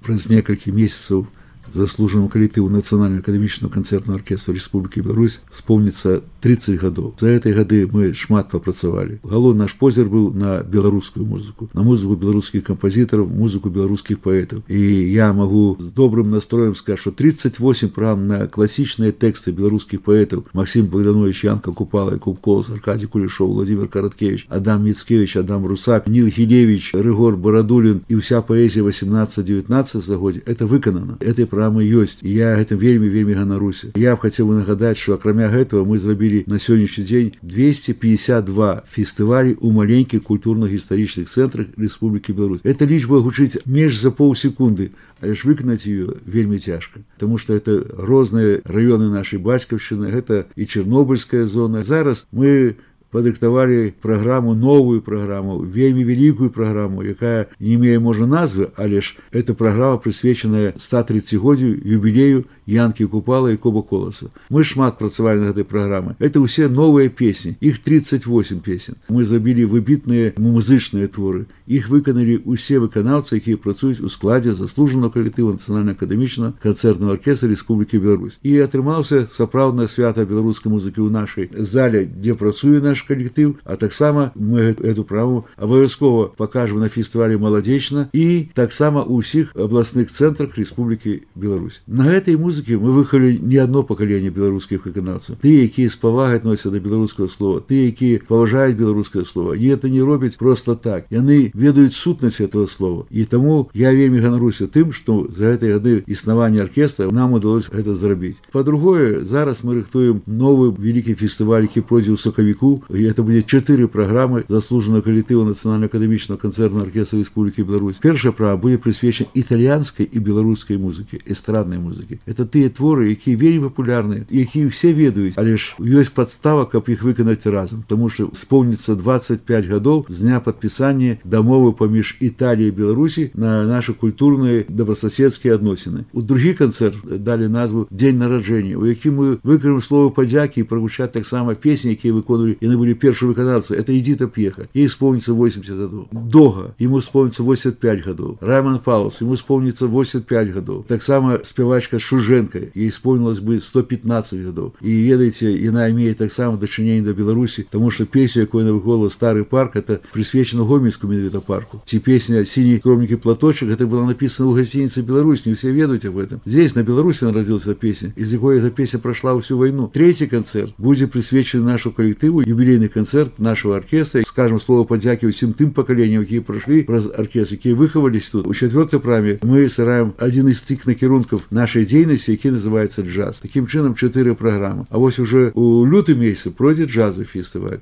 праз некалькі месяцаў заслужаному калектыву Нацыянальнага акадэмічнага канцэртнага аркестра Рэспублікі Беларусь спомніцца 30 гадоў. За гэтай гады мы шмат папрацавалі. Галоўны наш позір быў на беларускую музыку, на музыку беларускіх кампазітараў, музыку беларускіх паэтаў. І я магу з добрым настроем сказаць, што 38 праграм на класічныя тэксты беларускіх паэтаў: Максим Богданович, Янка Купала, Якуб Колас, Аркадий Кулешов, Владимир Караткевич, Адам Мицкевич, Адам Русак, Нил Гілевич, Рыгор Барадулін і ўся паэзія 18-19 стагоддзя — это выканана. Этой праграмы ёсць. І я гэтым вельмі ганаруся. Я б хацеў нагадаць, што акрамя гэтага мы зрабілі на сённяшні дзень 252 фестывалі ў маленькіх культурна-гістарычных цэнтрах Рэспублікі Беларусь. Эта лічба гучыць менш за паўсекунды, але ж выканаць ее вельмі цяжка, потому что это розныя раёны нашай бацькаўшчыны, гэта і Чэрнобыльская зона. Зараз мы падрыхтавалі праграму, новую праграму, вельмі вялікую праграму, якая не мее, можа, назвы, але ж эта праграма прысвечаная 130-годдзю юбілею Янкі Купала і Якуба Коласа. Мы шмат працавалі на гэтай праграме. Это ўсе новыя песні, іх 38 песен. Мы зрабілі выбітныя музычныя творы. Іх выканалі ўсе выканаўцы, якія працуюць у складзе заслужанага калектыву Нацыянальнага акадэмічнага канцэртнага аркестра Рэспублікі Беларусь. І атрымаўся сапраўднае свята беларускай музыкі ў нашай зале, дзе працуе наш калектыў, а таксама мы эту праграму абавязкова пакажам на фестывалі «Маладзечна» і таксама ў ўсіх абласных цэнтрах Рэспублікі Беларусь. На гэтай музыкі мы выхавалі не адно пакаленне беларускіх выканаўцаў. Тыя, якія з павагай адносяцца да беларускага слова, тыя, якія паважаюць беларускае слова. І это не робяць проста так. Яны ведаюць сутнасць этого слова. І таму я вельмі ганаруся тым, што за гэтыя гады існавання аркестра нам удалося гэта зрабіць. Па-другое, зараз мы рыхтуем новы вялікі фестываль, які пройдзе ў сакавіку. І это будзе 4 праграмы заслужанага калектыву Нацыянальнага акадэмічнага канцэртнага аркестра Рэспублікі Беларусь. Першая праграма будзе прысвечана італьянскай і беларускай музыкі, эстраднай музыкі. Это тыя творы, якія вельмі папулярныя, якія ўсе ведаюць, але ж ёсць падстава, каб іх выканаць разам, таму што спомніцца 25 гадоў з дня падпісання дамовы паміж Італіяй і Беларусі на нашы культурныя добрасаседскія адносіны. У другі канцэрт далі назву «Дзень нараджэння», у якім мы выкажам словы падзякі і прагучаць таксама песні, якія выконвалі, яны былі першыя выканаўцы. Это «Эдита Пьеха», ей спомніцца 80 гадоў. Дога, ему спомніцца 85 гадоў. Райман Паулс, ему спомніцца 85 гадоў. Таксама спявачка Шуженка, ей спомнілось бы 115 гадоў. І ведаеце, яна мае таксама дачыненне да Беларусі, таму што песня, якую яна выконвала «Стары парк», это прысвечана Гомельскому менавіта парку. Ці песня «Синий скромненький платочек», это была написана ў гасцініцы «Беларусь», не все ведаюць об этом. Здесь, на Беларуси, народилась эта песня, из якой эта песня прошла всю войну. Третий концерт будет присвячен нашему коллективу, юбилейный концерт нашего оркестра. Скажем слово подяки всем тем поколениям, которые прошли праз оркестр, которые выховались тут. У четвертой программе мы сыграем один из тих накірунків нашей деятельности, який называется джаз. Таким чином 4 программы. А вот уже у лютый месяц пройдет джазовый фестиваль.